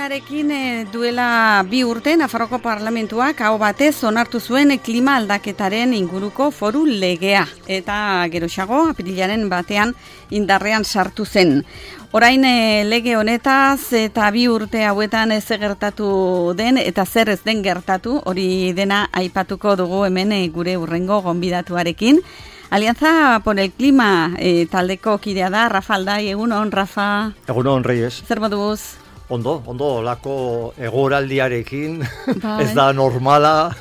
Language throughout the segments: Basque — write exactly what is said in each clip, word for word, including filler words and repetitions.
egunarekin duela bi urte Nafarroko Parlamentuak aho batez onartu zuen klima aldaketaren inguruko foru legea eta geroxago apirilaren batean indarrean sartu zen. Orain lege honetaz eta bi urte hauetan ez gertatu den eta zer ez den gertatu, hori dena aipatuko dugu hemen gure hurrengo gonbidatuarekin. Alianza por el Clima eh, taldeko kidea da, Rafa Aldai, egunon, Rafa. Egunon, Reyes. Zer moduz? Ondo, ondo, olako egoraldiarekin, bai. Ez da normala,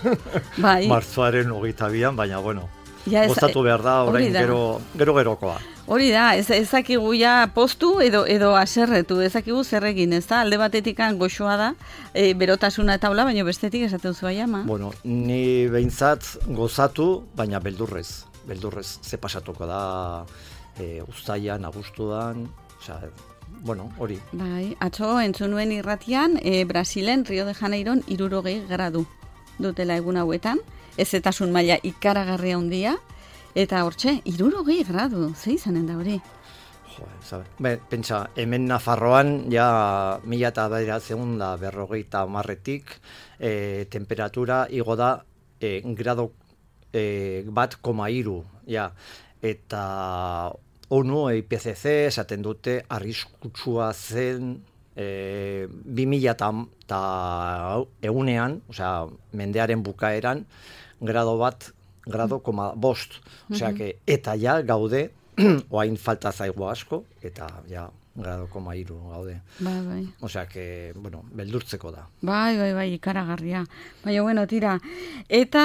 bai. Martzoaren hogeita bian, baina, bueno, ja, gozatu behar da, orain gero, gero gerokoa. Hori da, ez, ezakigu ja postu edo edo aserretu, ezakigu zer egin, ez da? Alde batetikan goxoa da, e, berotasuna eta hola, baina bestetik esaten zua jama. Bueno, ni behintzat gozatu, baina beldurrez. beldurrez ze pasatuko da e, uztailan, abuztuan, osea, bueno, hori. Bai, atzo entzun nuen irratian, e, Brasilen, Rio de Janeiron, hirurogei gradu dutela egun hauetan, ezetasun maila ikaragarria handia, eta hortxe, hirurogei gradu, ze izanen da hori? Jo, zabe, be, pentsa, hemen Nafarroan, ja, mila eta bederatziehun da berrogeita hamarretik, e, temperatura igo da e, grado E, bat koma hiru, ja, eta ONU, I P C C, esaten dute, arriskutsua zen e, bi mila eta egunean, osea, mendearen bukaeran, grado bat, grado koma bost, osea, que, eta ja gaude, oain falta zaigu asko, eta ja, grado koma hiru gaude. Bai, bai. Osea, que, bueno, beldurtzeko da. Bai, bai, bai, ikaragarria. Baina, bueno, tira. Eta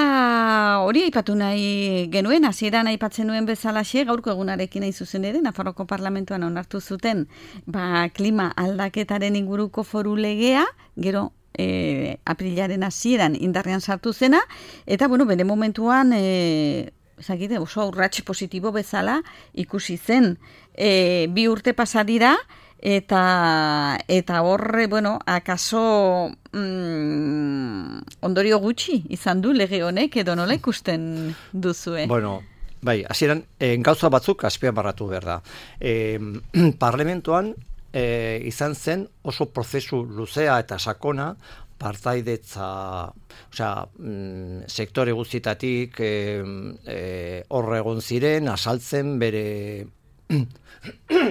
hori aipatu nahi genuen, hasieran aipatzen nuen bezalaxe, gaurko egunarekin nahi zuzen ere, Nafarroko Parlamentuan onartu zuten, ba, klima aldaketaren inguruko foru legea, gero, e, aprilaren hasieran indarrean sartu zena, eta, bueno, bere momentuan, e, zakite, oso urrats positibo bezala ikusi zen. E, bi urte pasa dira eta eta horre, bueno, akaso mm, ondorio gutxi izan du lege honek edo nola ikusten duzue? Bueno, bai, hasieran e, gauza batzuk azpimarratu behar da. E, parlamentoan e, izan zen oso prozesu luzea eta sakona partaidetza, osea, mm, sektore guztietatik eh, eh, horre egon ziren, asaltzen bere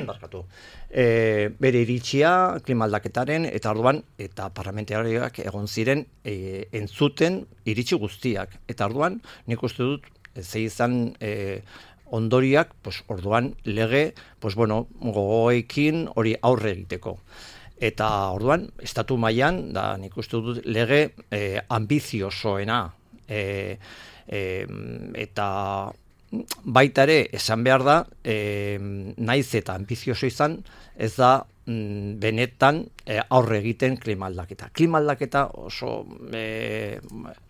barkatu, eh, bere iritsia klima aldaketaren, eta orduan, eta parlamentariak egon ziren eh, entzuten iritsi guztiak. Eta orduan, nik uste dut, ze izan eh, ondoriak, pues, orduan lege, pues, bueno, gogoekin hori aurre egiteko. Eta orduan, estatu mailan da nik uste dut lege eh, ambiziosoena. E, e, eta baita ere, esan behar da, e, naiz eta ambizioso izan, ez da mm, benetan e, aurre egiten klima aldaketa. Klima aldaketa oso e,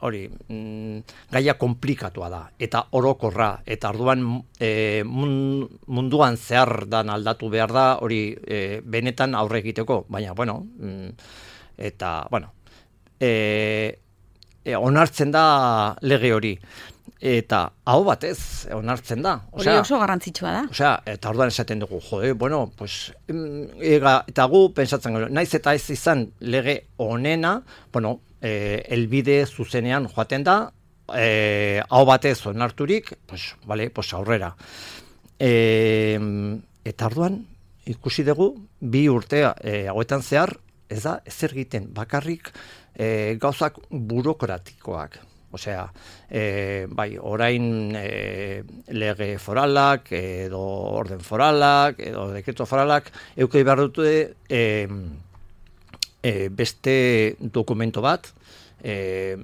hori, mm, gaia komplikatua da, eta orokorra, eta orduan e, munduan zehar dan aldatu behar da, hori e, benetan aurre egiteko, baina, bueno, mm, eta, bueno, e, e, onartzen da lege hori. Eta hau batez onartzen da. Hori oso garrantzitsua da. Osea, eta orduan esaten dugu, jode, bueno, pues, ega, eta gu pentsatzen gero, naiz eta ez izan lege honena, bueno, e, elbide zuzenean joaten da, e, hau batez onarturik, pues, vale, pues aurrera. E, eta orduan, ikusi dugu, bi urtea e, hauetan zehar, ez da, ezer egiten bakarrik e, gauzak burokratikoak. Osea, e, bai, orain e, lege foralak, edo orden foralak, edo dekreto foralak, eukei behar dute e, e, beste dokumento bat, e,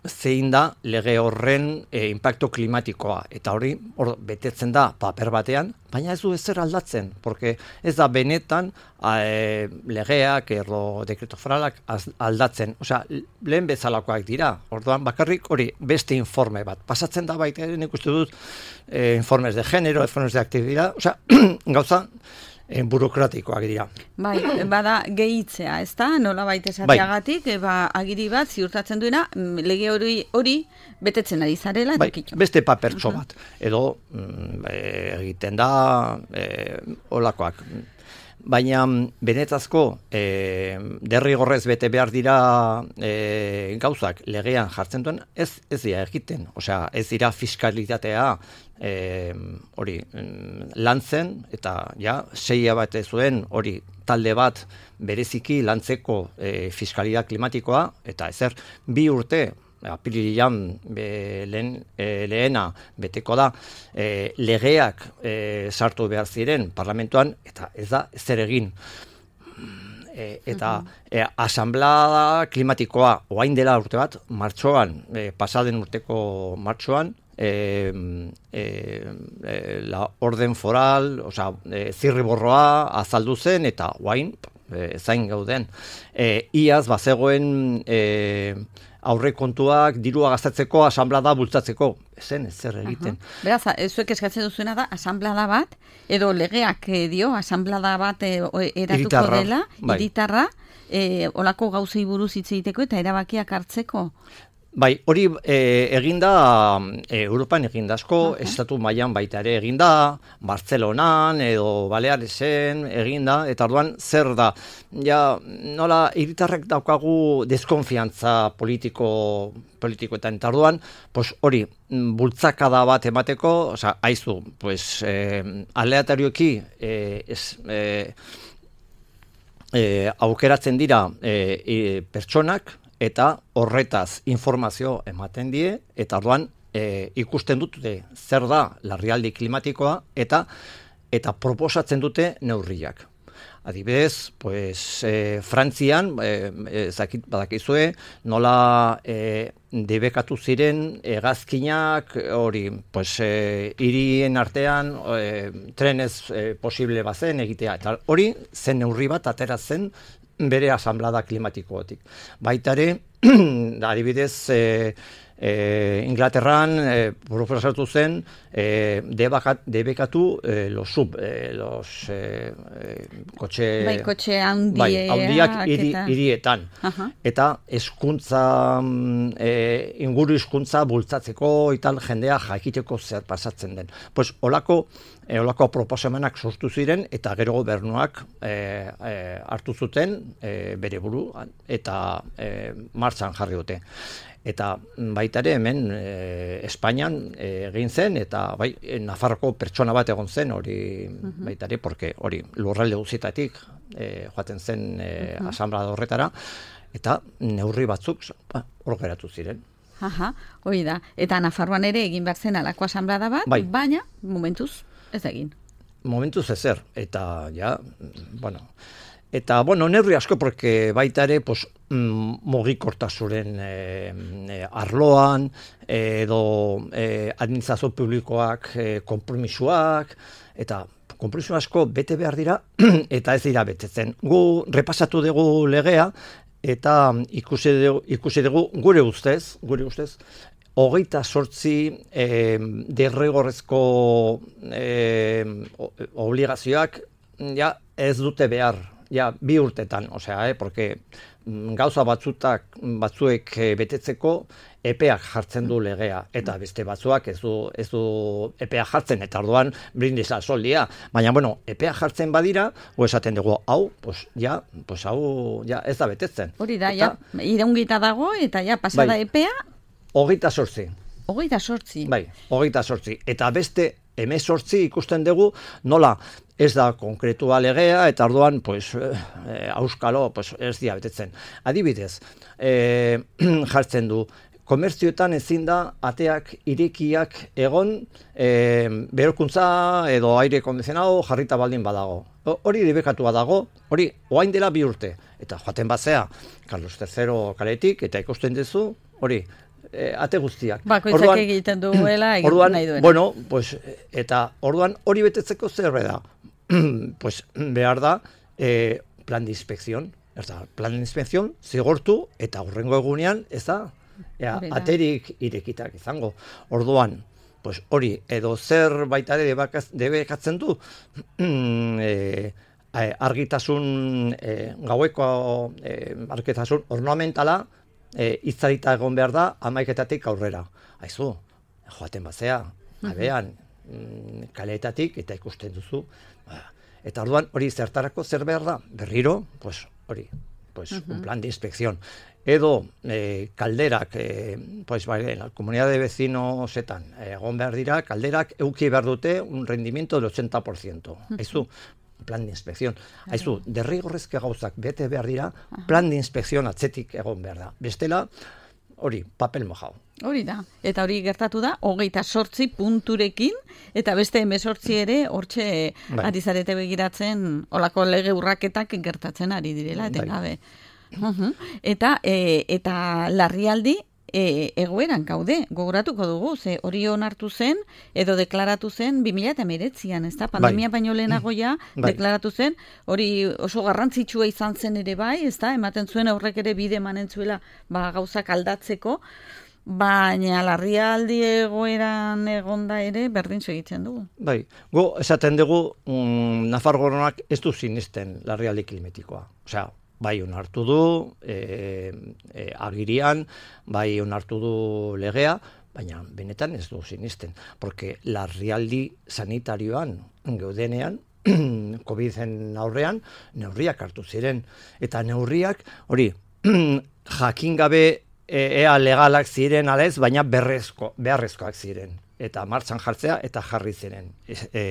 zein da lege horren e, impacto klimatikoa. Eta hori hor betetzen da paper batean, baina ez du ezer aldatzen, porque ez da benetan e, legeak edo dekreto foralak aldatzen. Osea, lehen bezalakoak dira. Orduan bakarrik hori beste informe bat. Pasatzen da baita, nik uste dut, e, informes de género, informes de actividad, osea, gauza en burokratikoak dira. Bai, bada gehitzea, ez da? Nola baita esateagatik, bai. Ba, agiri bat ziurtatzen duena, lege hori hori betetzen ari zarela. Bai, beste papertxo bat. Edo mm, e, egiten da e, olakoak. baina benetazko e, derrigorrez bete behar dira e, gauzak legean jartzen duen, ez, ez dira egiten, osea, ez dira fiskalitatea e, hori lantzen, eta ja, seia bat zuen hori talde bat bereziki lantzeko e, fiskalitate klimatikoa, eta ezer, bi urte, apirilean lehen, e, lehena beteko da, e, legeak e, sartu behar ziren parlamentuan, eta ez da zer egin. E, eta e, asamblea klimatikoa orain dela urte bat, martxoan, e, pasaden urteko martxoan, e, e, e, la orden foral, osea, e, zirriborroa azaldu zen, eta orain, e, zain gauden. E, iaz, bazegoen e, aurrekontuak dirua gastatzeko asanblada bultzatzeko. Ezen, ez zer egiten. Uh-huh. Beraz, zuek eskatzen duzuena da asanblada bat, edo legeak eh, dio, asanblada bat eh, eratuko Iritarra, dela, bai. Iritarra, eh, olako gauzei buruz hitz egiteko eta erabakiak hartzeko. Bai, hori e, eginda, e, Europan eginda asko, uh-huh. estatu mailan baita ere eginda, Bartzelonan edo Balearesen eginda, eta orduan zer da, ja, nola hiritarrek daukagu deskonfiantza politiko politikoetan, eta orduan, pues hori, bultzakada bat emateko, osea, aizu, pues, eh, aleatarioki, eh, es, eh, eh, aukeratzen dira eh, eh, pertsonak, eta horretaz informazio ematen die, eta orduan e, ikusten dute zer da larrialdi klimatikoa, eta eta proposatzen dute neurriak. Adibidez, pues, e, Frantzian, e, zakit badakizue, nola e, debekatu ziren hegazkinak, hori, pues, e, hirien artean e, trenez e, posible bazen egitea, eta hori zen neurri bat atera zen bere asanblada klimatikotik. Baita ere, adibidez, e, e, Inglaterran e, proposatu zen e, debakat, debekatu e, los sub, e, los e, e, kotxe, bai, kotxe handiak, bai, handiak hiri, eta... hirietan. Uh-huh. Eta hezkuntza, e, inguru hizkuntza bultzatzeko ital jendea jakiteko zer pasatzen den. Pues olako E, olako proposamenak sortu ziren, eta gero gobernuak e, e, hartu zuten e, bere buru, eta e, martxan jarri dute. Eta baita ere hemen e, Espainian egin zen, eta bai, Nafarroko pertsona bat egon zen, hori uh-huh. baita ere, porque hori lurralde guztietatik e, joaten zen e, uh-huh. asanblada horretara, eta neurri batzuk ba, hor geratu ziren. Aha, hori da. Eta Nafarroan ere egin behar zen alako asanblada bat, bai. Baina, momentuz, ez egin. Momentuz ezer, eta ja, bueno, eta, bueno, neurri asko, porque baita ere, pues, mm, mugikortasunen e, e, arloan, edo e, administrazio publikoak e, konpromisoak, eta konpromiso asko bete behar dira, eta ez dira betetzen. Gu repasatu dugu legea, eta ikusi dugu, ikusi dugu gure ustez, gure ustez, hogeita sortzi eh, derrigorrezko eh, obligazioak ja ez dute behar, ja bi urtetan, osea, eh, porque gauza batzutak batzuek betetzeko epeak jartzen du legea, eta beste batzuak ez du, ez du epeak jartzen, eta orduan brindis al sol dia. Baina, bueno, epeak jartzen badira, o esaten dugu, hau, pues, ja, pues, hau, ja, ez da betetzen. Hori da, eta, ja, iraungita dago, eta ja, pasada bai, epea, hogeita sortzi. Hogeita sortzi. Bai, hogeita sortzi. Eta beste hemezortzi ikusten dugu nola ez da konkretua legea, eta orduan, pues, eh, auskalo, pues, ez dia betetzen. Adibidez, eh, jartzen du, komertzioetan ezin da ateak irekiak egon eh, berokuntza edo aire kondizionado jarrita baldin badago. Hori debekatua dago, hori oain dela bi urte. Eta joaten bazea, Carlos tercero kaletik, eta ikusten duzu, hori, E, ate guztiak. Bakoitzak egiten duela, egiten nahi duena. Bueno, pues, eta orduan hori betetzeko zer da? Pues behar da eh, plan de inspección. Eta plan de inspección zigortu eta hurrengo egunean ez da ea, aterik irekitak izango. Orduan, pues hori edo zer baita ere debekatzen du e, argitasun e, gaueko e, argitasun ornamentala E, itzalita egon behar da hamaiketatik aurrera. Aizu, joaten bazea, abean, mm, kaleetatik, eta ikusten duzu, ba, Eta orduan hori zertarako zer behar da? Berriro, pues hori, pues uh-huh. un plan de inspección. Edo eh, kalderak, eh, pues, bai, la comunidad de vecinosetan, egon behar dira, kalderak euki behar dute un rendimiento del ochenta por ciento. Uh-huh. Aizu, plan de inspección. Uh-huh. Aizu, derrigorrezke gauzak bete behar dira, uh-huh. plan de inspección atzetik egon behar da. Bestela, hori, papel mojau. Hori da, eta hori gertatu da, hogeita sortzi punturekin, eta beste emezortzi ere, hortxe bai. Ari zarete begiratzen, olako lege urraketak gertatzen ari direla, eten gabe. Uhum. Eta, e, eta larrialdi e, egoeran gaude, gogoratuko dugu, ze hori onartu zen, edo deklaratu zen bi mila hemeretzian, ez da? Pandemia bai. Baino lehenago ja, bai. Deklaratu zen, hori oso garrantzitsua izan zen ere bai, ez da? Ematen zuen aurrek ere bide emanen zuela ba, gauzak aldatzeko, baina larrialdi egoeran egonda ere berdin segitzen dugu. Bai, go esaten dugu um, Nafarroak ez du sinisten larrialdi klimatikoa. Osea, bai onartu du e, e, agirian, bai onartu du legea, baina benetan ez du sinisten. Porque larrialdi sanitarioan geudenean, COVIDen aurrean, neurriak hartu ziren. Eta neurriak, hori, jakin gabe ea legalak ziren alez, baina berrezko, beharrezkoak ziren. Eta martxan jartzea eta jarri ziren. E, e,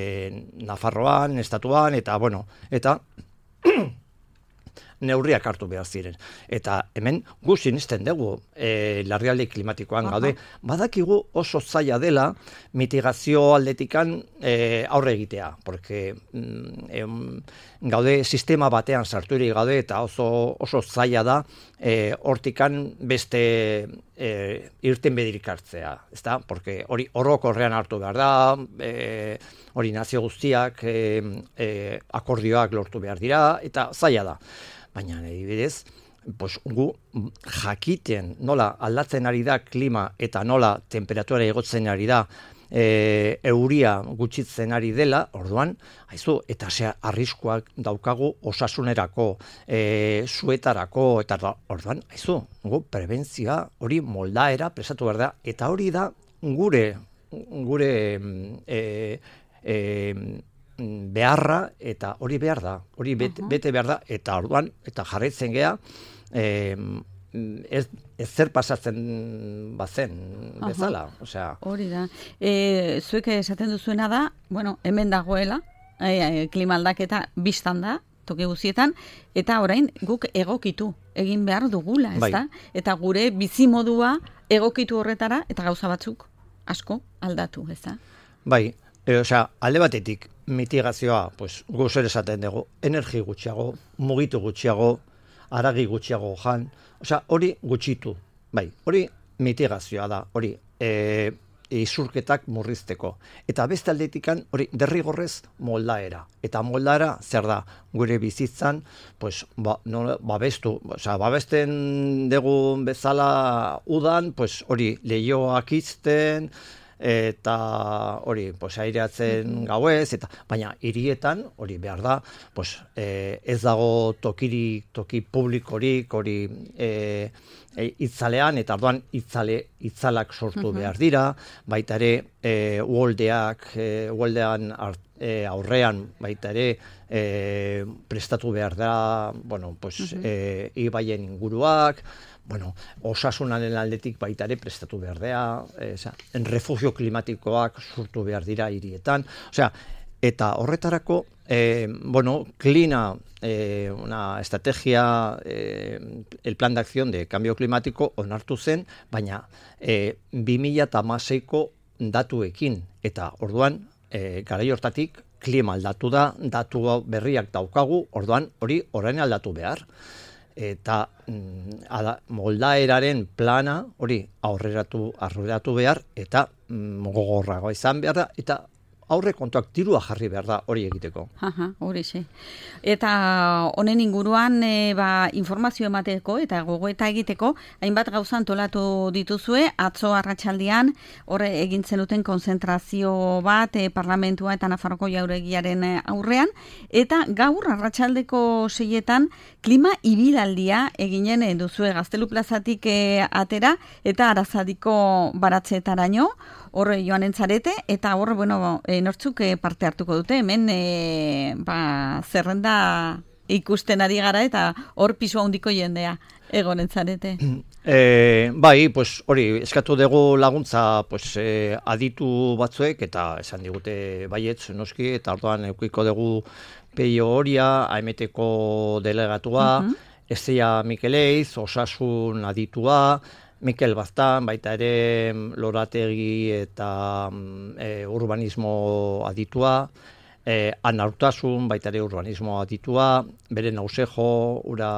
Nafarroan, estatuan, eta bueno, eta neurriak hartu behar ziren. Eta hemen gu sinisten dugu e, larrialdi klimatikoan gaude. Badakigu oso zaila dela mitigazio aldetikan e, aurre egitea. Porque mm, em, gaude sistema batean sarturik gaude eta oso, oso zaila da e, hortikan beste e, irten bedirik hartzea. Ezta? Porque hori orokorrean hartu behar da, e, hori nazio guztiak e, e, akordioak lortu behar dira, eta zaila da. Baina, adibidez, pues, gu jakiten nola aldatzen ari da klima eta nola temperatura igotzen ari da e, euria gutxitzen ari dela, orduan, haizu, eta zea arriskuak daukagu osasunerako, e, suetarako, eta orduan, haizu, gu prebentzioa hori moldaera presatu behar da, eta hori da gure, gure, e, e, beharra, eta hori behar da, hori bete, uh-huh. bete behar da, eta orduan, eta jarraitzen gea, eh, ez, ez zer pasatzen bazen bezala. Uh-huh. Osea, hori da. E, zuek esaten duzuena da, bueno, hemen dagoela, e, klima aldaketa biztan da, toki guztietan, eta orain guk egokitu egin behar dugula, ez da? Bai. Eta gure bizimodua egokitu horretara, eta gauza batzuk asko aldatu, ez da? Bai, e, osea, alde batetik, mitigazioa, pues, guzer esaten dugu, energi gutxiago, mugitu gutxiago, aragi gutxiago jan, osea, hori gutxitu, bai, hori mitigazioa da, hori e, isurketak murrizteko. Eta beste aldetikan, hori derrigorrez moldaera. Eta moldaera, zer da, gure bizitzan, pues, ba, no, babestu, osea, babesten dugu bezala udan, pues, hori lehioak izten, eta hori, pues, aireatzen gauez, eta baina hirietan hori behar da, pues, eh, ez dago tokirik, toki publikorik, hori eh, itzalean, eta orduan itzale, itzalak sortu behar dira, baita ere eh, uoldeak, eh, uoldean eh, aurrean, baita ere eh, prestatu behar da, bueno, pues, uh-huh. eh, ibaien inguruak, bueno, osasunaren aldetik baita ere prestatu behar dea, eh, en refugio klimatikoak sortu behar dira hirietan, osea, eta horretarako, eh, bueno, Klina, eh, una estrategia, eh, el plan de acción de cambio climático onartu zen, baina eh, bi mila hamaseiko datuekin, eta orduan, eh, garai hortatik, klima aldatu da, datu berriak daukagu, orduan hori orain aldatu behar. Eta mm, ala, moldaeraren plana hori aurreratu, aurreratu behar, eta mm, gogorragoa izan behar da, eta aurre kontuak dirua jarri behar da hori egiteko. Aha, hori xe. Eta honen inguruan e, ba, informazio emateko eta gogoeta egiteko, hainbat gauza antolatu dituzue, atzo arratsaldean horre egin zenuten konzentrazio bat e, parlamentua eta Nafarroko jauregiaren aurrean, eta gaur arratsaldeko seietan klima ibilaldia eginen duzue Gaztelu plazatik e, atera eta Arazadiko baratzetaraino. horre joan entzarete, eta horre, bueno, e, nortzuk e, parte hartuko dute, hemen e, ba, zerrenda ikusten ari gara, eta hor pisua handiko jendea egon entzarete. E, bai, pues, hori, eskatu dugu laguntza pues, e, aditu batzuek, eta esan digute baietz noski, eta orduan eukiko dugu Peio Horia, A M T-ko delegatua, uh-huh. Ezia Mikeleiz, Osasun aditua, Mikel Baztan, baita ere Lorategi eta e, urbanismo aditua, e, Ana Urtasun, baita ere urbanismo aditua, bere Nausejo, ura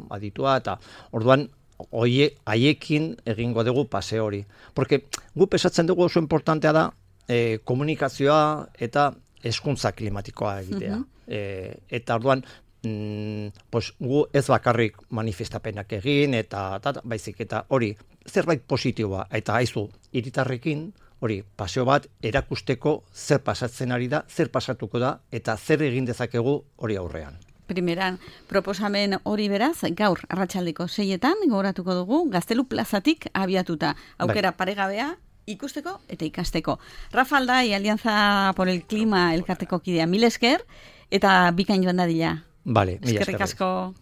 aditua, eta orduan Oie, haiekin egingo dugu pase hori. Porque gu pesatzen dugu oso importantea da e, komunikazioa eta hezkuntza klimatikoa egitea. Uh-huh. e, eta orduan, mm, pues, gu ez bakarrik manifestapenak egin, eta, eta baizik eta hori zerbait positiboa. Eta haizu, hiritarrekin hori paseo bat erakusteko zer pasatzen ari da, zer pasatuko da, eta zer egin dezakegu hori aurrean. Primeran, proposamen hori beraz, gaur arratsaldeko seietan, gogoratuko dugu, Gaztelu plazatik abiatuta. Aukera bai. Paregabea, ikusteko eta ikasteko. Rafa Aldai, Alianza por el Clima elkarteko kidea, mil esker, eta bikain joan dadila. Vale, mila esker. Eskerrik asko.